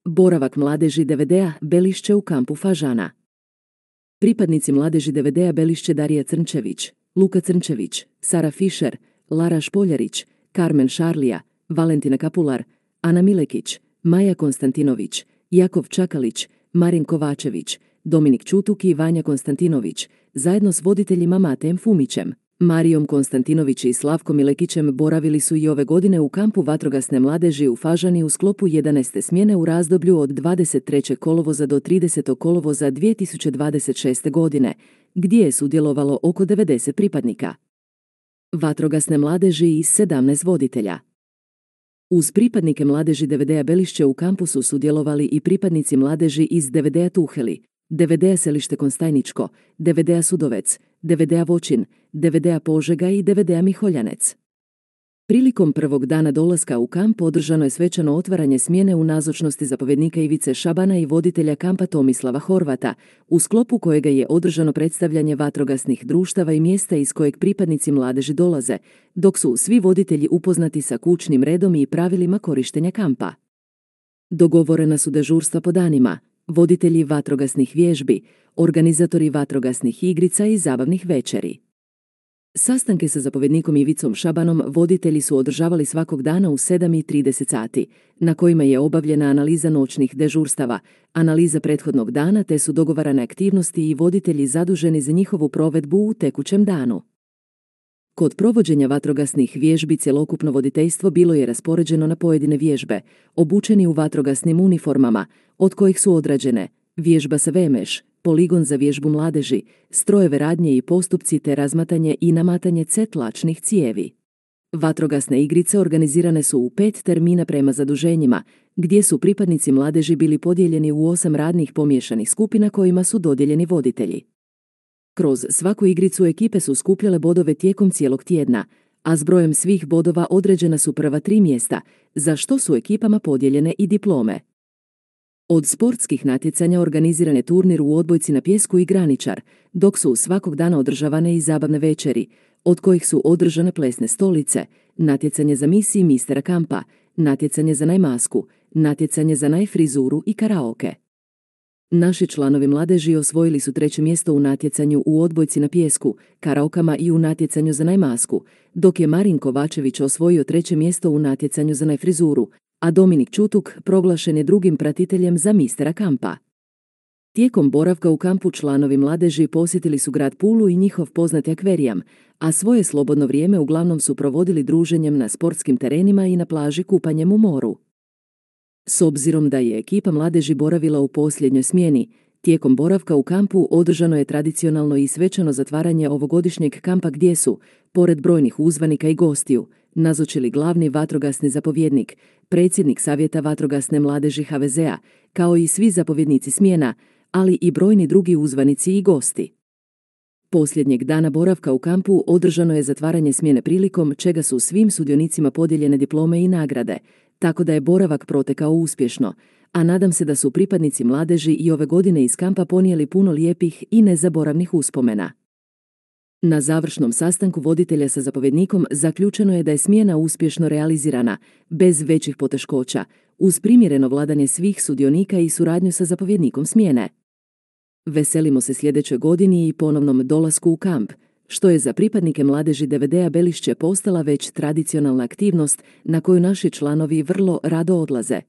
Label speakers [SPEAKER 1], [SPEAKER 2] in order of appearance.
[SPEAKER 1] Boravak mladeži DVD-a Belišće u kampu Fažana. Pripadnici mladeži DVD-a Belišće Darija Crnčević, Luka Crnčević, Sara Fišer, Lara Špoljarić, Karmen Šarlija, Valentina Kapular, Ana Milekić, Maja Konstantinović, Jakov Čakalić, Marin Kovačević, Dominik Čutuk i Vanja Konstantinović, zajedno s voditeljima Matejem Fumićem, Marijom Konstantinović i Slavkom Milekićem boravili su i ove godine u kampu vatrogasne mladeži u Fažani u sklopu 11. smjene u razdoblju od 23. kolovoza do 30. kolovoza 2026. godine, gdje je sudjelovalo oko 90 pripadnika vatrogasne mladeži i 17 voditelja. Uz pripadnike mladeži DVD-a Belišće u kampu su sudjelovali i pripadnici mladeži iz DVD-a Tuheli, DVD-a Selište Konstajničko, DVD-a Sudovec, DVD-a Voćin, DVD-a Požega i DVD-a Miholjanec. Prilikom prvog dana dolaska u kamp održano je svečano otvaranje smjene u nazočnosti zapovjednika Ivice Šabana i voditelja kampa Tomislava Horvata, u sklopu kojega je održano predstavljanje vatrogasnih društava i mjesta iz kojeg pripadnici mladeži dolaze, dok su svi voditelji upoznati sa kućnim redom i pravilima korištenja kampa. Dogovorena su dežurstva po danima, voditelji vatrogasnih vježbi, organizatori vatrogasnih igrica i zabavnih večeri. Sastanke sa zapovjednikom Ivicom Šabanom voditelji su održavali svakog dana u 7:30 sati, na kojima je obavljena analiza noćnih dežurstava, analiza prethodnog dana te su dogovarane aktivnosti i voditelji zaduženi za njihovu provedbu u tekućem danu. Kod provođenja vatrogasnih vježbi cjelokupno voditeljstvo bilo je raspoređeno na pojedine vježbe, obučeni u vatrogasnim uniformama, od kojih su odrađene vježba sa VMŠ, poligon za vježbu mladeži, strojeve radnje i postupci te razmatanje i namatanje tlačnih cijevi. Vatrogasne igrice organizirane su u 5 termina prema zaduženjima, gdje su pripadnici mladeži bili podijeljeni u 8 radnih pomiješanih skupina kojima su dodijeljeni voditelji. Kroz svaku igricu ekipe su skupljale bodove tijekom cijelog tjedna, a s brojem svih bodova određena su prva 3 mjesta, za što su ekipama podijeljene i diplome. Od sportskih natjecanja organiziran je turnir u odbojci na pijesku i graničar, dok su svakog dana održavane i zabavne večeri, od kojih su održane plesne stolice, natjecanje za misiji mistera kampa, natjecanje za najmasku, natjecanje za najfrizuru i karaoke. Naši članovi mladeži osvojili su 3. mjesto u natjecanju u odbojci na pijesku, karaokama i u natjecanju za najmasku, dok je Marin Kovačević osvojio 3. mjesto u natjecanju za najfrizuru, a Dominik Čutuk proglašen je drugim pratiteljem za mistera kampa. Tijekom boravka u kampu članovi mladeži posjetili su grad Pulu i njihov poznati akverijam, a svoje slobodno vrijeme uglavnom su provodili druženjem na sportskim terenima i na plaži kupanjem u moru. S obzirom da je ekipa mladeži boravila u posljednjoj smjeni, tijekom boravka u kampu održano je tradicionalno i svečano zatvaranje ovogodišnjeg kampa gdje su, pored brojnih uzvanika i gostiju, nazočili glavni vatrogasni zapovjednik, predsjednik Savjeta vatrogasne mladeži HVZ-a, kao i svi zapovjednici smjena, ali i brojni drugi uzvanici i gosti. Posljednjeg dana boravka u kampu održano je zatvaranje smjene prilikom čega su svim sudionicima podijeljene diplome i nagrade, tako da je boravak protekao uspješno, a nadam se da su pripadnici mladeži i ove godine iz kampa ponijeli puno lijepih i nezaboravnih uspomena. Na završnom sastanku voditelja sa zapovjednikom zaključeno je da je smjena uspješno realizirana, bez većih poteškoća, uz primjereno vladanje svih sudionika i suradnju sa zapovjednikom smjene. Veselimo se sljedećoj godini i ponovnom dolasku u kamp, što je za pripadnike mladeži DVD-a Belišće postala već tradicionalna aktivnost na koju naši članovi vrlo rado odlaze.